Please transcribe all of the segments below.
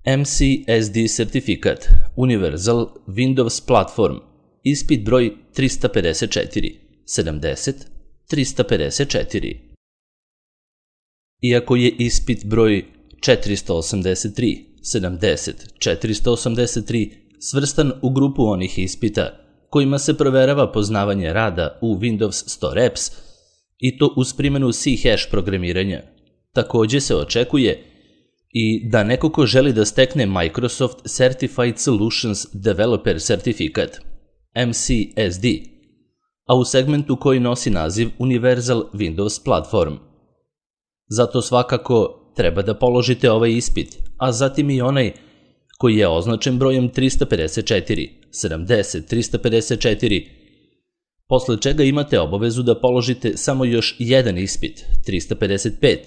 MCSD sertifikat, Universal Windows Platform, ispit broj 354, 70, 354. Iako je ispit broj 483, 70, 483 svrstan u grupu onih ispita kojima se proverava poznavanje rada u Windows Store Apps i to uz primjenu C# programiranja, takođe se očekuje i da neko ko želi da stekne Microsoft Certified Solutions Developer sertifikat, MCSD, a u segmentu koji nosi naziv Universal Windows Platform. Zato svakako treba da položite ovaj ispit, a zatim i onaj koji je označen brojem 354, 70, 354, posle čega imate obavezu da položite samo još jedan ispit, 355,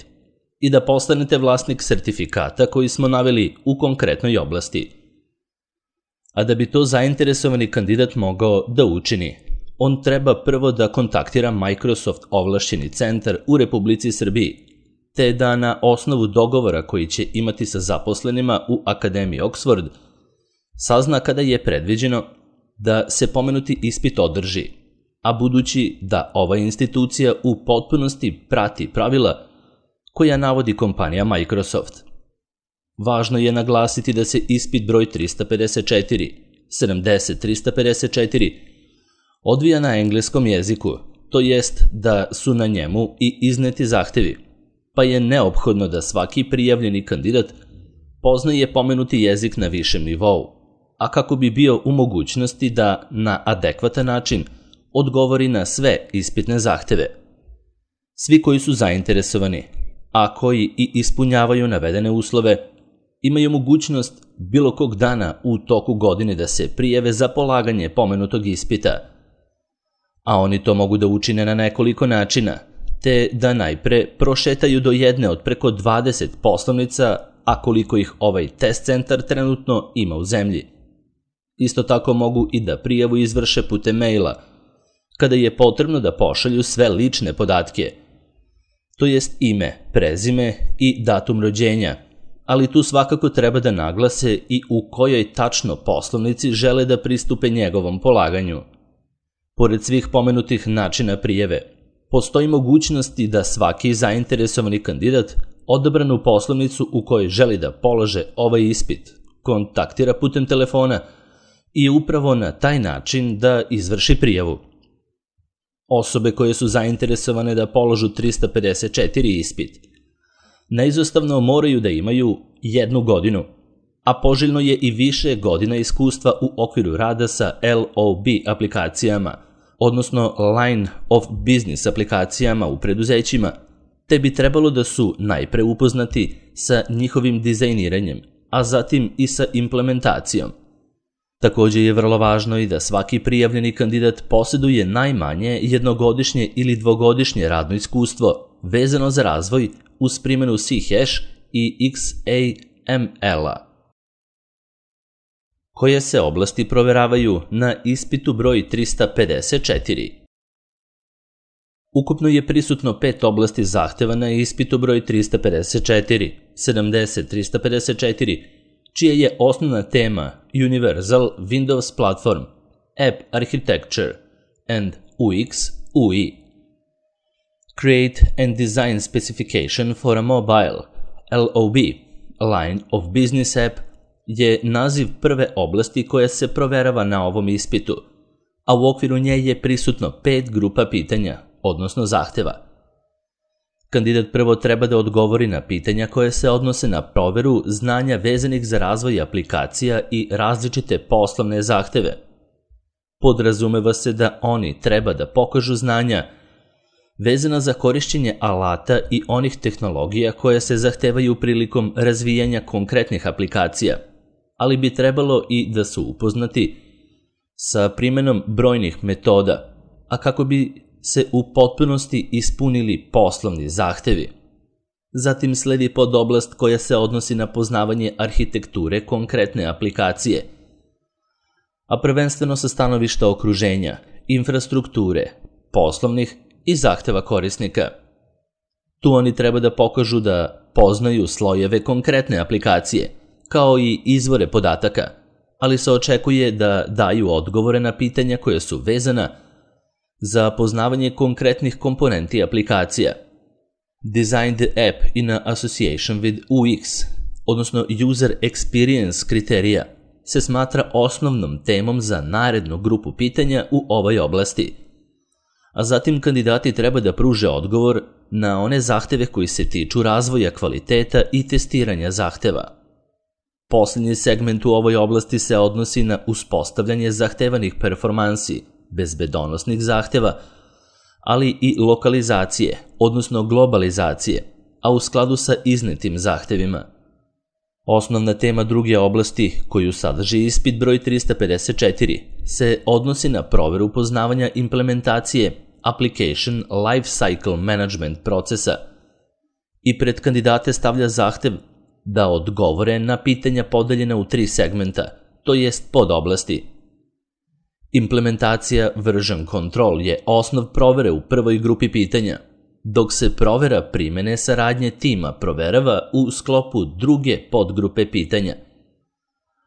i da postanete vlasnik sertifikata koji smo naveli u konkretnoj oblasti. A da bi to zainteresovani kandidat mogao da učini, on treba prvo da kontaktira Microsoft ovlašćeni centar u Republici Srbiji, te da na osnovu dogovora koji će imati sa zaposlenima u Akademiji Oxford sazna kada je predviđeno da se pomenuti ispit održi, a budući da ova institucija u potpunosti prati pravila koja navodi kompanija Microsoft. Važno je naglasiti da se ispit broj 354, 70, 354 odvija na engleskom jeziku, to jest da su na njemu i izneti zahtevi, pa je neophodno da svaki prijavljeni kandidat poznaje pomenuti jezik na višem nivou, a kako bi bio u mogućnosti da na adekvatan način odgovori na sve ispitne zahteve. Svi koji su zainteresovani, a koji i ispunjavaju navedene uslove, imaju mogućnost bilo kog dana u toku godine da se prijave za polaganje pomenutog ispita, a oni to mogu da učine na nekoliko načina, te da najpre prošetaju do jedne od preko 20 poslovnica, a koliko ih ovaj test centar trenutno ima u zemlji. Isto tako mogu i da prijavu izvrše putem maila, kada je potrebno da pošalju sve lične podatke, to jest ime, prezime i datum rođenja, ali tu svakako treba da naglase i u kojoj tačno poslovnici žele da pristupe njegovom polaganju. Pored svih pomenutih načina prijave, postoji mogućnosti da svaki zainteresovani kandidat odabranu poslovnicu u kojoj želi da polože ovaj ispit kontaktira putem telefona i upravo na taj način da izvrši prijavu. Osobe koje su zainteresovane da položu 354 ispit neizostavno moraju da imaju 1 godinu, a poželjno je i više godina iskustva u okviru rada sa LOB aplikacijama, odnosno Line of Business aplikacijama u preduzećima, te bi trebalo da su najpre upoznati sa njihovim dizajniranjem, a zatim i sa implementacijom. Takođe je vrlo važno i da svaki prijavljeni kandidat posjeduje najmanje 1-godišnje ili 2-godišnje radno iskustvo vezano za razvoj uz primjenu C# i XAML-a. Koje se oblasti proveravaju na ispitu broj 354? Ukupno je prisutno 5 oblasti zahteva na ispitu broj 354, 70, 354, čija je osnovna tema Universal Windows Platform, App Architecture and UX UI. Create and Design Specification for a Mobile, LOB, Line of Business App, je naziv prve oblasti koja se proverava na ovom ispitu, a u okviru nje je prisutno 5 grupa pitanja, odnosno zahteva. Kandidat prvo treba da odgovori na pitanja koje se odnose na proveru znanja vezanih za razvoj aplikacija i različite poslovne zahteve. Podrazumeva se da oni treba da pokažu znanja vezana za korišćenje alata i onih tehnologija koje se zahtevaju prilikom razvijanja konkretnih aplikacija, ali bi trebalo i da su upoznati sa primjenom brojnih metoda, a kako bi se u potpunosti ispunili poslovni zahtevi. Zatim sledi podoblast koja se odnosi na poznavanje arhitekture konkretne aplikacije, a prvenstveno sa stanovišta okruženja, infrastrukture, poslovnih i zahteva korisnika. Tu oni treba da pokažu da poznaju slojeve konkretne aplikacije, kao i izvore podataka, ali se očekuje da daju odgovore na pitanja koja su vezana za poznavanje konkretnih komponenti aplikacija. Design the app in association with UX, odnosno User Experience kriterija, se smatra osnovnom temom za narednu grupu pitanja u ovoj oblasti. A zatim kandidati treba da pruže odgovor na one zahteve koji se tiču razvoja kvaliteta i testiranja zahteva. Posljednji segment u ovoj oblasti se odnosi na uspostavljanje zahtevanih performansi, bezbedonosnih zahteva, ali i lokalizacije, odnosno globalizacije, a u skladu sa iznetim zahtevima. Osnovna tema druge oblasti, koju sadrži ispit broj 354, se odnosi na proveru poznavanja implementacije Application Lifecycle Management procesa i pred kandidate stavlja zahtev da odgovore na pitanja podeljena u 3 segmenta, to jest podoblasti. Implementacija version control je osnov provere u prvoj grupi pitanja, dok se provera primene saradnje tima proverava u sklopu druge podgrupe pitanja,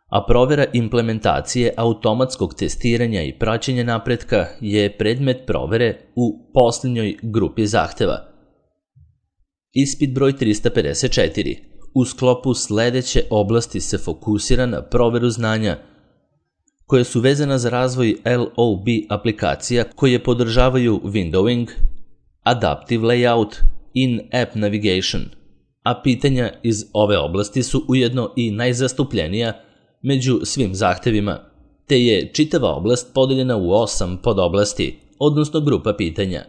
a provera implementacije automatskog testiranja i praćenja napretka je predmet provere u posljednjoj grupi zahteva. Ispit broj 354 u sklopu sledeće oblasti se fokusira na proveru znanja koje su vezana za razvoj LOB aplikacija koje podržavaju windowing, adaptive layout, in-app navigation, a pitanja iz ove oblasti su ujedno i najzastupljenija među svim zahtevima, te je čitava oblast podeljena u 8 podoblasti, odnosno grupa pitanja.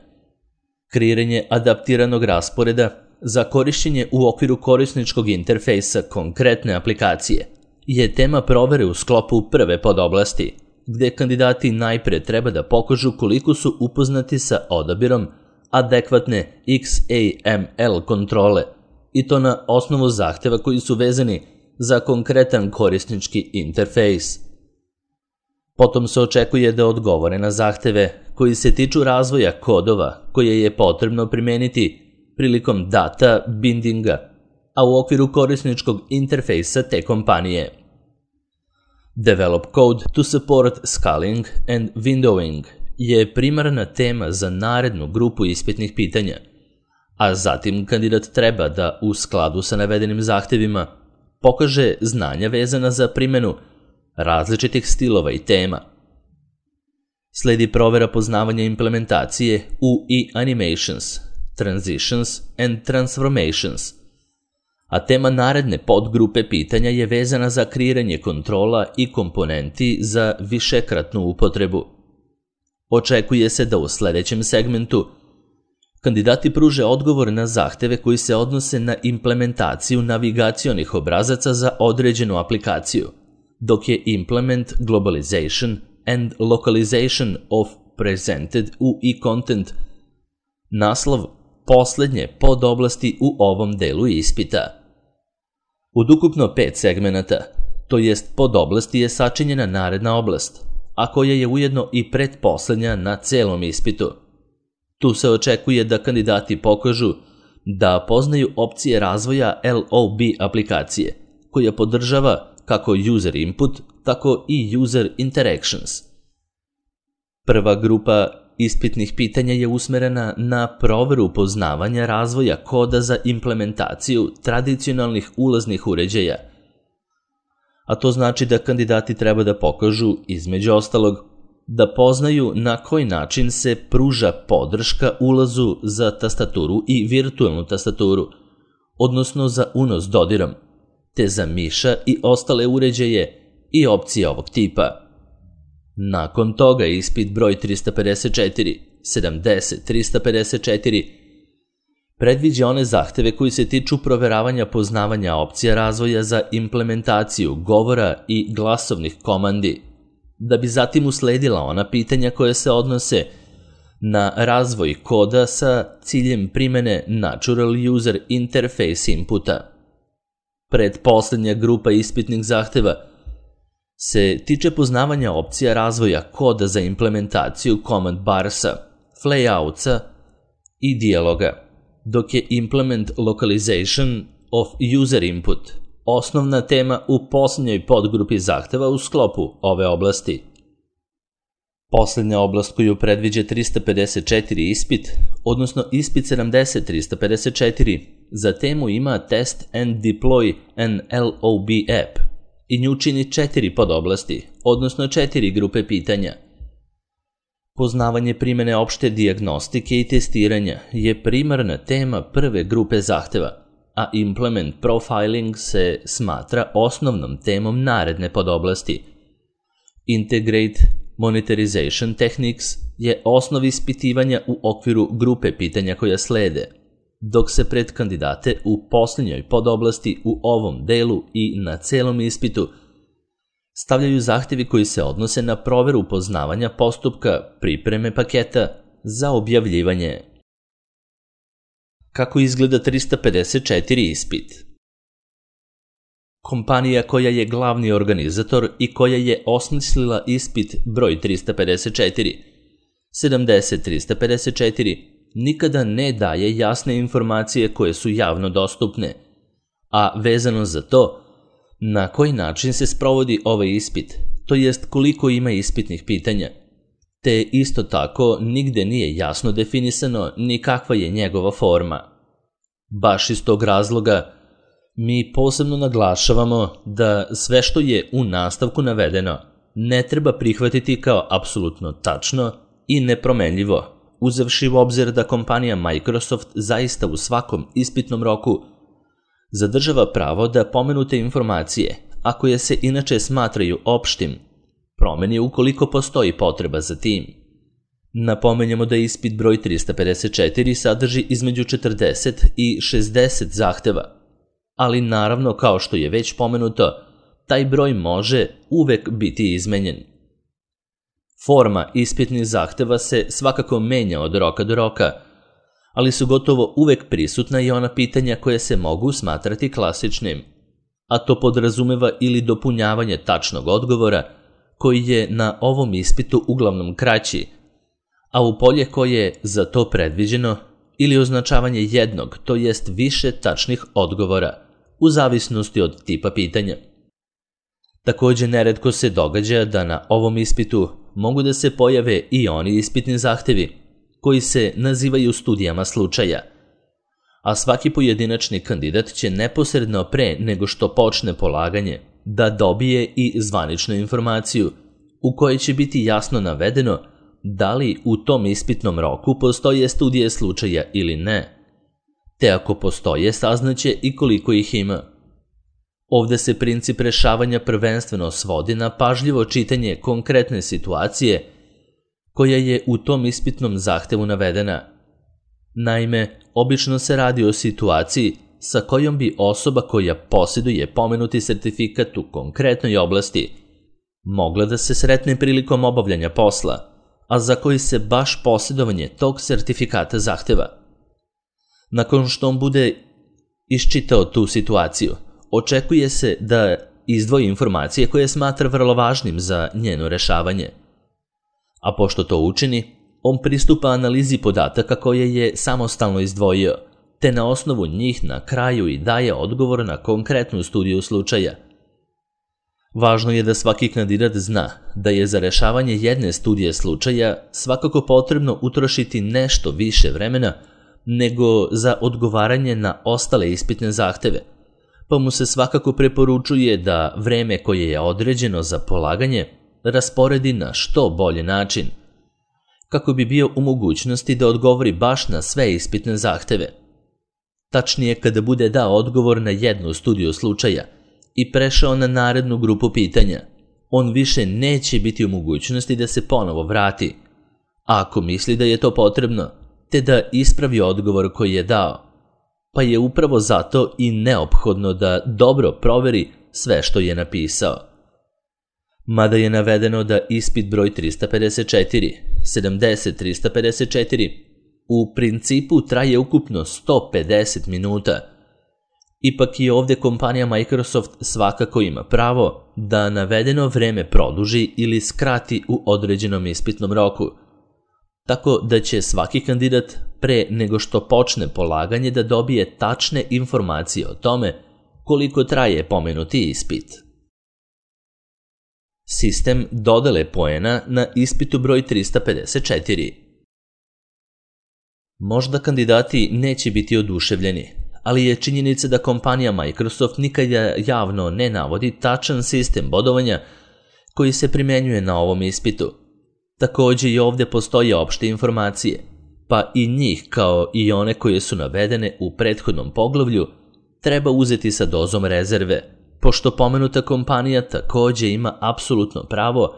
Kreiranje adaptiranog rasporeda za korišćenje u okviru korisničkog interfejsa konkretne aplikacije je tema provere u sklopu prve podoblasti, gde kandidati najpre treba da pokažu koliko su upoznati sa odabirom adekvatne XAML kontrole, i to na osnovu zahteva koji su vezani za konkretan korisnički interfejs. Potom se očekuje da odgovore na zahteve koji se tiču razvoja kodova koje je potrebno primeniti prilikom data bindinga, a u okviru korisničkog interfejsa te kompanije. Develop code to support scaling and windowing je primarna tema za narednu grupu ispitnih pitanja, a zatim kandidat treba da u skladu sa navedenim zahtevima pokaže znanja vezana za primenu različitih stilova i tema. Sledi provera poznavanja implementacije UI animations, transitions and transformations, a tema naredne podgrupe pitanja je vezana za kreiranje kontrola i komponenti za višekratnu upotrebu. Očekuje se da u sledećem segmentu kandidati pruže odgovor na zahteve koji se odnose na implementaciju navigacionih obrazaca za određenu aplikaciju, dok je implement globalization and localization of presented UI content naslov poslednje podoblasti u ovom delu ispita. Od ukupno 5 segmenata, to jest podoblasti, je sačinjena naredna oblast, a koja je ujedno i pretposlednja na celom ispitu. Tu se očekuje da kandidati pokažu da poznaju opcije razvoja LOB aplikacije, koja podržava kako user input, tako i user interactions. Prva grupa ispitnih pitanja je usmerena na proveru poznavanja razvoja koda za implementaciju tradicionalnih ulaznih uređaja, a to znači da kandidati treba da pokažu, između ostalog, da poznaju na koji način se pruža podrška ulazu za tastaturu i virtualnu tastaturu, odnosno za unos dodirom, te za miša i ostale uređaje i opcije ovog tipa. Nakon toga ispit broj 354, 70, 354 predviđa one zahteve koji se tiču proveravanja poznavanja opcija razvoja za implementaciju govora i glasovnih komandi, da bi zatim usledila ona pitanja koje se odnose na razvoj koda sa ciljem primene Natural User Interface inputa. Predposlednja grupa ispitnih zahteva se tiče poznavanja opcija razvoja koda za implementaciju command barsa, flayoutsa i dijaloga, dok je implement localization of user input, osnovna tema u posljednjoj podgrupi zahteva u sklopu ove oblasti. Posljednja oblast koju predviđa 354 ispit, odnosno ispit 70-354, za temu ima Test and Deploy an LOB app i nju čini 4 podoblasti, odnosno 4 grupe pitanja. Poznavanje primjene opšte dijagnostike i testiranja je primarna tema prve grupe zahteva, a Implement Profiling se smatra osnovnom temom naredne podoblasti. Integrate Monetization Techniques je osnov ispitivanja u okviru grupe pitanja koja slede, dok se pred kandidate u posljednjoj podoblasti u ovom delu i na celom ispitu stavljaju zahtevi koji se odnose na proveru poznavanja postupka pripreme paketa za objavljivanje. Kako izgleda 354 ispit? Kompanija koja je glavni organizator i koja je osmislila ispit broj 354, 70-354, nikada ne daje jasne informacije koje su javno dostupne, a vezano za to, na koji način se sprovodi ovaj ispit, to jest koliko ima ispitnih pitanja, te isto tako nigde nije jasno definisano ni kakva je njegova forma. Baš iz tog razloga, mi posebno naglašavamo da sve što je u nastavku navedeno ne treba prihvatiti kao apsolutno tačno i nepromenljivo, uzevši u obzir da kompanija Microsoft zaista u svakom ispitnom roku zadržava pravo da pomenute informacije, a koje se inače smatraju opštim, promeni ukoliko postoji potreba za tim. Napomenjamo da ispit broj 354 sadrži između 40 i 60 zahteva, ali naravno, kao što je već pomenuto, taj broj može uvek biti izmenjen. Forma ispitnih zahteva se svakako menja od roka do roka, ali su gotovo uvek prisutna i ona pitanja koje se mogu smatrati klasičnim, a to podrazumeva ili dopunjavanje tačnog odgovora, koji je na ovom ispitu uglavnom kraći, a u polje koje je za to predviđeno, ili označavanje jednog, to jest više tačnih odgovora, u zavisnosti od tipa pitanja. Također neretko se događa da na ovom ispitu mogu da se pojave i oni ispitni zahtevi, koji se nazivaju studijama slučaja, a svaki pojedinačni kandidat će neposredno pre nego što počne polaganje da dobije i zvaničnu informaciju u kojoj će biti jasno navedeno da li u tom ispitnom roku postoje studije slučaja ili ne, te ako postoje saznaće i koliko ih ima. Ovde se princip rešavanja prvenstveno svodi na pažljivo čitanje konkretne situacije koja je u tom ispitnom zahtevu navedena. Naime, obično se radi o situaciji sa kojom bi osoba koja posjeduje pomenuti sertifikat u konkretnoj oblasti mogla da se sretne prilikom obavljanja posla, a za koji se baš posjedovanje tog sertifikata zahteva. Nakon što on bude iščitao tu situaciju, očekuje se da izdvoji informacije koje smatra vrlo važnim za njeno rešavanje. A pošto to učini, on pristupa analizi podataka koje je samostalno izdvojio, te na osnovu njih na kraju i daje odgovor na konkretnu studiju slučaja. Važno je da svaki kandidat zna da je za rešavanje jedne studije slučaja svakako potrebno utrošiti nešto više vremena nego za odgovaranje na ostale ispitne zahteve, pa mu se svakako preporučuje da vreme koje je određeno za polaganje rasporedi na što bolji način, kako bi bio u mogućnosti da odgovori baš na sve ispitne zahteve. Tačnije, kada bude dao odgovor na jednu studiju slučaja i prešao na narednu grupu pitanja, on više neće biti u mogućnosti da se ponovo vrati, ako misli da je to potrebno, te da ispravi odgovor koji je dao, pa je upravo zato i neophodno da dobro proveri sve što je napisao. Mada je navedeno da ispit broj 354, 70-354, u principu traje ukupno 150 minuta, ipak i ovdje kompanija Microsoft svakako ima pravo da navedeno vreme produži ili skrati u određenom ispitnom roku, tako da će svaki kandidat pre nego što počne polaganje da dobije tačne informacije o tome koliko traje pomenuti ispit. Sistem dodele poena na ispitu broj 354. Možda kandidati neće biti oduševljeni, ali je činjenica da kompanija Microsoft nikada javno ne navodi tačan sistem bodovanja koji se primenjuje na ovom ispitu. Također i ovdje postoje opšte informacije, pa i njih kao i one koje su navedene u prethodnom poglavlju treba uzeti sa dozom rezerve, pošto pomenuta kompanija također ima apsolutno pravo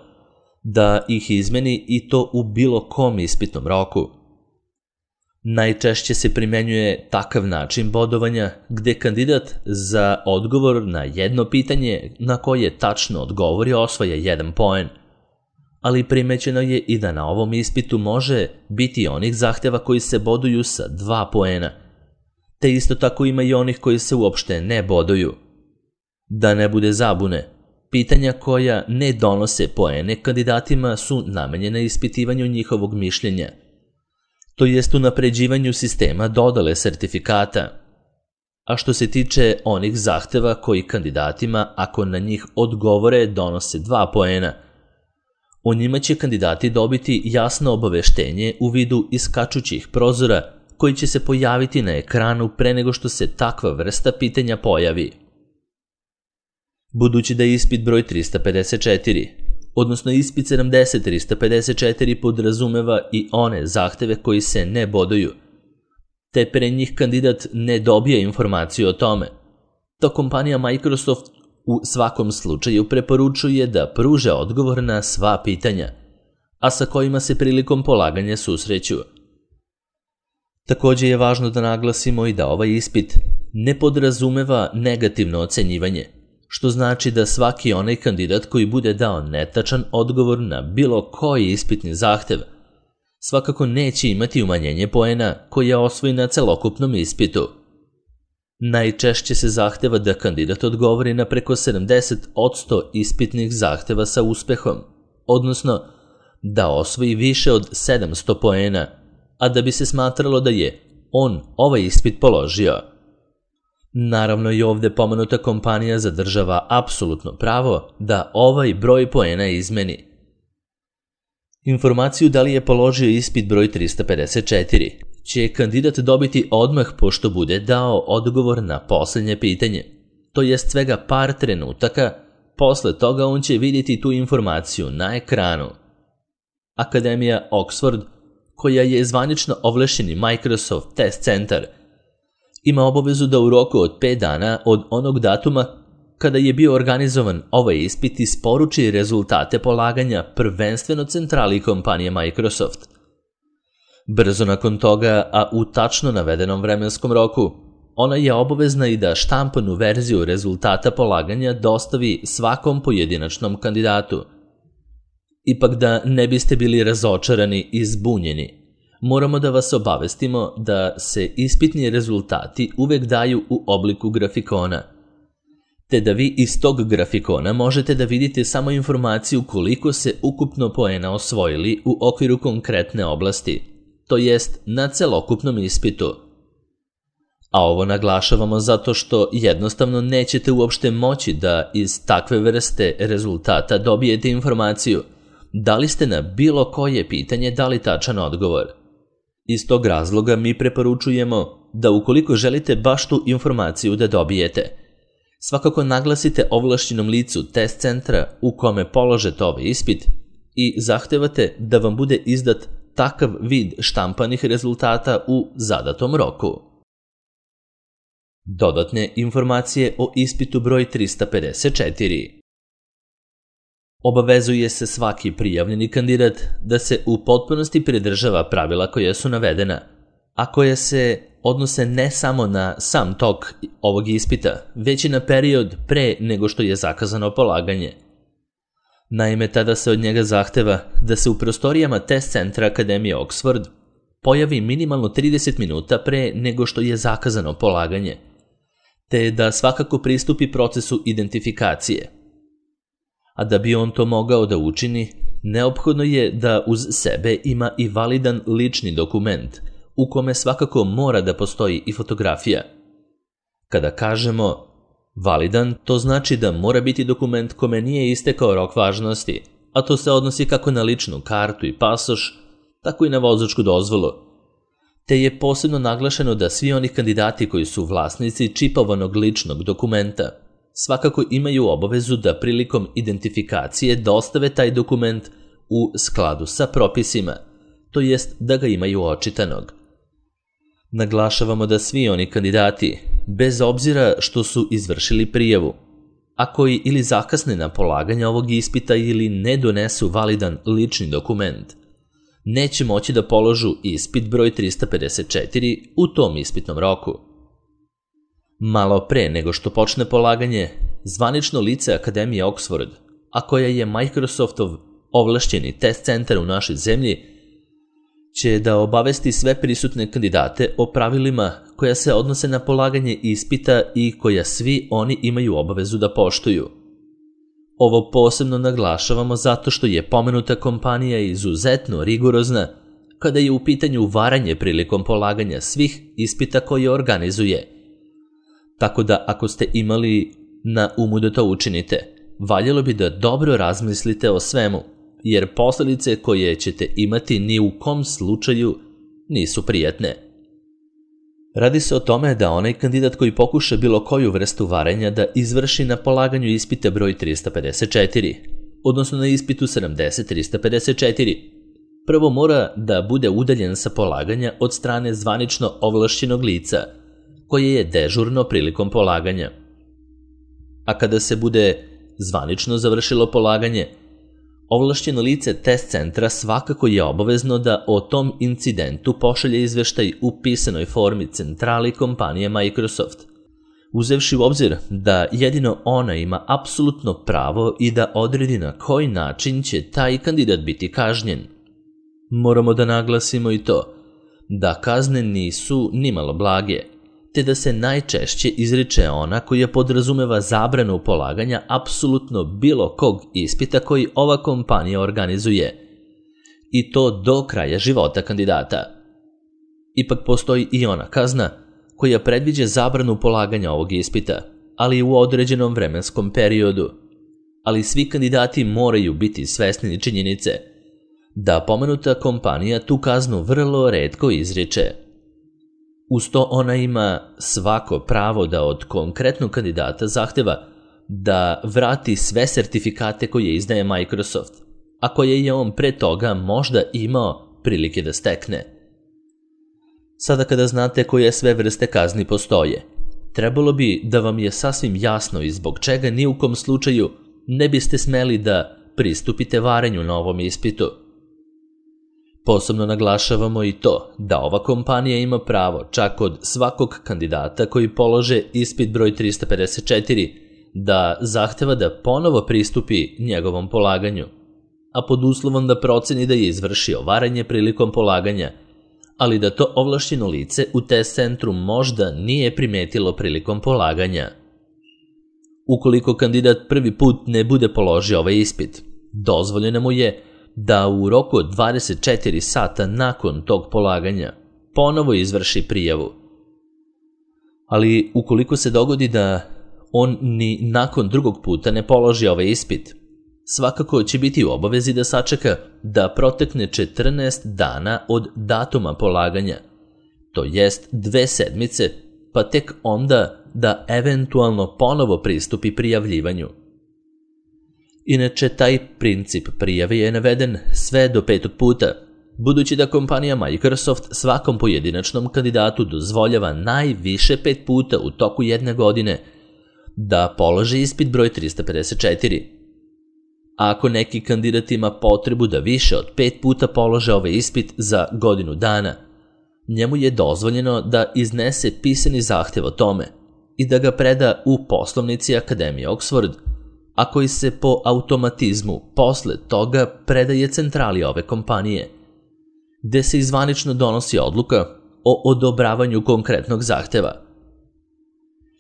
da ih izmeni i to u bilo kom ispitnom roku. Najčešće se primenjuje takav način bodovanja gde kandidat za odgovor na jedno pitanje na koje tačno odgovori osvaja 1 poen, ali primećeno je i da na ovom ispitu može biti onih zahteva koji se boduju sa 2 poena, te isto tako ima i onih koji se uopšte ne boduju. Da ne bude zabune, pitanja koja ne donose poene kandidatima su namenjena ispitivanju njihovog mišljenja, to jest unapređivanju sistema dodele sertifikata. A što se tiče onih zahteva koji kandidatima, ako na njih odgovore, donose 2 poena, o njima će kandidati dobiti jasno obaveštenje u vidu iskačućih prozora koji će se pojaviti na ekranu pre nego što se takva vrsta pitanja pojavi. Budući da je ispit broj 354, odnosno ispit 70-354 podrazumeva i one zahteve koji se ne boduju, te pre njih kandidat ne dobije informaciju o tome, to kompanija Microsoft u svakom slučaju preporučuje da pruže odgovor na sva pitanja, a sa kojima se prilikom polaganja susreću. Također je važno da naglasimo i da ovaj ispit ne podrazumeva negativno ocenjivanje, što znači da svaki onaj kandidat koji bude dao netačan odgovor na bilo koji ispitni zahtev svakako neće imati umanjenje poena koje osvoji na celokupnom ispitu. Najčešće se zahteva da kandidat odgovori na preko 70% ispitnih zahteva sa uspehom, odnosno da osvoji više od 700 poena, a da bi se smatralo da je on ovaj ispit položio. Naravno i ovdje pomenuta kompanija zadržava apsolutno pravo da ovaj broj poena izmeni. Informaciju da li je položio ispit broj 354 će kandidat dobiti odmah pošto bude dao odgovor na posljednje pitanje, to jest svega par trenutaka, posle toga on će vidjeti tu informaciju na ekranu. Akademija Oxford, koja je zvanično ovlašćeni Microsoft test centar, ima obavezu da u roku od 5 dana od onog datuma kada je bio organizovan ovaj ispit isporuči rezultate polaganja prvenstveno centrali kompanije Microsoft. Brzo nakon toga, a u tačno navedenom vremenskom roku, ona je obavezna i da štampanu verziju rezultata polaganja dostavi svakom pojedinačnom kandidatu. Ipak da ne biste bili razočarani i zbunjeni, moramo da vas obavestimo da se ispitni rezultati uvek daju u obliku grafikona, te da vi iz tog grafikona možete da vidite samo informaciju koliko se ukupno poena osvojili u okviru konkretne oblasti, to jest na celokupnom ispitu. A ovo naglašavamo zato što jednostavno nećete uopšte moći da iz takve vrste rezultata dobijete informaciju da li ste na bilo koje pitanje dali tačan odgovor. Iz tog razloga mi preporučujemo da ukoliko želite baš tu informaciju da dobijete, svakako naglasite ovlašćenom licu test centra u kome položete ovaj ispit i zahtevate da vam bude izdat takav vid štampanih rezultata u zadatom roku. Dodatne informacije o ispitu broj 354. Obavezuje se svaki prijavljeni kandidat da se u potpunosti pridržava pravila koja su navedena, a koja se odnose ne samo na sam tok ovog ispita, već i na period pre nego što je zakazano polaganje. Naime, tada se od njega zahteva da se u prostorijama test centra Akademije Oxford pojavi minimalno 30 minuta pre nego što je zakazano polaganje, te da svakako pristupi procesu identifikacije. A da bi on to mogao da učini, neophodno je da uz sebe ima i validan lični dokument, u kome svakako mora da postoji i fotografija. Kada kažemo Validan to znači da mora biti dokument kome nije istekao rok važnosti, a to se odnosi kako na ličnu kartu i pasoš, tako i na vozačku dozvolu. Te je posebno naglašeno da svi oni kandidati koji su vlasnici čipovanog ličnog dokumenta svakako imaju obavezu da prilikom identifikacije dostave taj dokument u skladu sa propisima, to jest da ga imaju očitanog. Naglašavamo da svi oni kandidati, bez obzira što su izvršili prijavu, a koji ili zakasne na polaganje ovog ispita ili ne donesu validan lični dokument, neće moći da položu ispit broj 354 u tom ispitnom roku. Malo pre nego što počne polaganje, zvanično lice Akademije Oxford, a koja je Microsoftov ovlašćeni test centar u našoj zemlji, će da obavesti sve prisutne kandidate o pravilima koja se odnose na polaganje ispita i koja svi oni imaju obavezu da poštuju. Ovo posebno naglašavamo zato što je pomenuta kompanija izuzetno rigorozna kada je u pitanju varanje prilikom polaganja svih ispita koje organizuje. Tako da ako ste imali na umu da to učinite, valjalo bi da dobro razmislite o svemu, jer posljedice koje ćete imati ni u kom slučaju nisu prijatne. Radi se o tome da onaj kandidat koji pokuša bilo koju vrstu varenja da izvrši na polaganju ispita broj 354, odnosno na ispitu 70-354, prvo mora da bude udaljen sa polaganja od strane zvanično ovlašćenog lica, koje je dežurno prilikom polaganja. A kada se bude zvanično završilo polaganje, ovlašćeno lice test centra svakako je obavezno da o tom incidentu pošalje izveštaj u pisanoj formi centrali kompanije Microsoft, uzevši u obzir da jedino ona ima apsolutno pravo i da odredi na koji način će taj kandidat biti kažnjen. Moramo da naglasimo i to da kazne nisu nimalo blage, te da se najčešće izriče ona koja podrazumeva zabranu polaganja apsolutno bilo kog ispita koji ova kompanija organizuje, i to do kraja života kandidata. Ipak postoji i ona kazna koja predviđa zabranu polaganja ovog ispita, ali u određenom vremenskom periodu. Ali svi kandidati moraju biti svesni činjenice da pomenuta kompanija tu kaznu vrlo retko izriče. Uz to ona ima svako pravo da od konkretnog kandidata zahteva da vrati sve sertifikate koje izdaje Microsoft, a koje je on pre toga možda imao prilike da stekne. Sada kada znate koje sve vrste kazni postoje, trebalo bi da vam je sasvim jasno i zbog čega ni u kom slučaju ne biste smeli da pristupite varenju na ovom ispitu. Posebno naglašavamo i to da ova kompanija ima pravo čak od svakog kandidata koji polože ispit broj 354 da zahteva da ponovo pristupi njegovom polaganju, a pod uslovom da proceni da je izvršio varanje prilikom polaganja, ali da to ovlašćeno lice u test centru možda nije primetilo prilikom polaganja. Ukoliko kandidat prvi put ne bude položio ovaj ispit, dozvoljeno mu je da u roku od 24 sata nakon tog polaganja ponovo izvrši prijavu. Ali ukoliko se dogodi da on ni nakon drugog puta ne položi ovaj ispit, svakako će biti u obavezi da sačeka da protekne 14 dana od datuma polaganja, to jest 2 sedmice, pa tek onda da eventualno ponovo pristupi prijavljivanju. Inače, taj princip prijave je naveden sve do 5. puta, budući da kompanija Microsoft svakom pojedinačnom kandidatu dozvoljava najviše 5 puta u toku jedne godine da položi ispit broj 354. A ako neki kandidat ima potrebu da više od 5 puta polože ovaj ispit za godinu dana, njemu je dozvoljeno da iznese pisani zahtev o tome i da ga preda u poslovnici Akademije Oxford, a koji se po automatizmu posle toga predaje centrali ove kompanije, gde se zvanično donosi odluka o odobravanju konkretnog zahteva.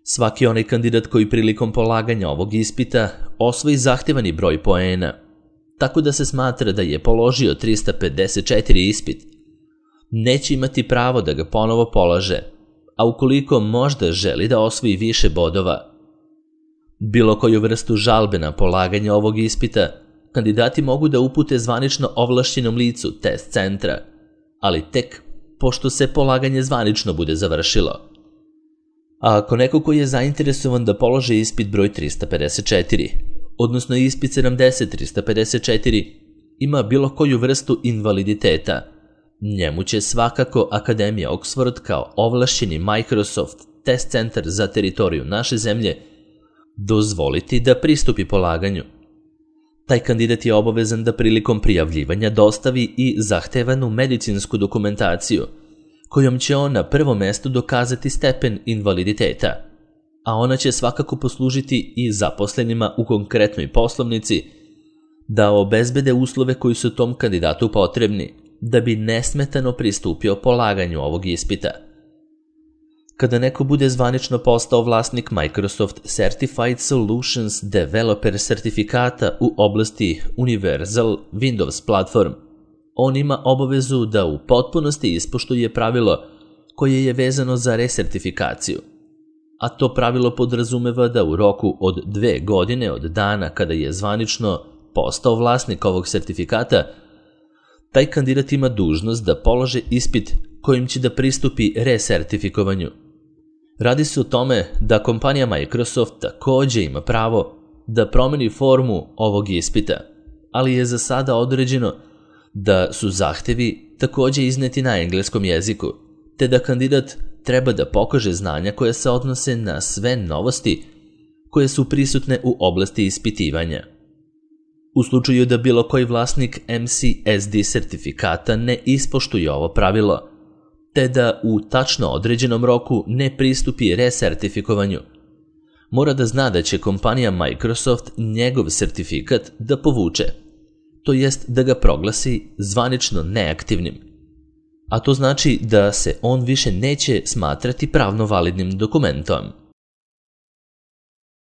Svaki onaj kandidat koji prilikom polaganja ovog ispita osvoji zahtevani broj poena, tako da se smatra da je položio 354 ispit, neće imati pravo da ga ponovo polaže, a ukoliko možda želi da osvoji više bodova, Bilo koju vrstu žalbe na polaganje ovog ispita, kandidati mogu da upute zvanično ovlašćenom licu test centra, ali tek pošto se polaganje zvanično bude završilo. A ako neko koji je zainteresovan da položi ispit broj 354, odnosno ispit 70-354, ima bilo koju vrstu invaliditeta, njemu će svakako Akademija Oxford kao ovlašćeni Microsoft test centar za teritoriju naše zemlje dozvoliti da pristupi polaganju. Taj kandidat je obavezan da prilikom prijavljivanja dostavi i zahtevanu medicinsku dokumentaciju, kojom će on na prvom mestu dokazati stepen invaliditeta, a ona će svakako poslužiti i zaposlenima u konkretnoj poslovnici da obezbede uslove koji su tom kandidatu potrebni da bi nesmetano pristupio polaganju ovog ispita. Kada neko bude zvanično postao vlasnik Microsoft Certified Solutions Developer sertifikata u oblasti Universal Windows Platform, on ima obavezu da u potpunosti ispoštuje pravilo koje je vezano za resertifikaciju, a to pravilo podrazumeva da u roku od 2 godine od dana kada je zvanično postao vlasnik ovog sertifikata, taj kandidat ima dužnost da položi ispit kojim će da pristupi resertifikovanju. Radi se o tome da kompanija Microsoft takođe ima pravo da promeni formu ovog ispita, ali je za sada određeno da su zahtevi takođe izneti na engleskom jeziku, te da kandidat treba da pokaže znanja koje se odnose na sve novosti koje su prisutne u oblasti ispitivanja. U slučaju da bilo koji vlasnik MCSD sertifikata ne ispoštuje ovo pravilo, te da u tačno određenom roku ne pristupi resertifikovanju, mora da zna da će kompanija Microsoft njegov sertifikat da povuče, to jest da ga proglasi zvanično neaktivnim. A to znači da se on više neće smatrati pravno validnim dokumentom.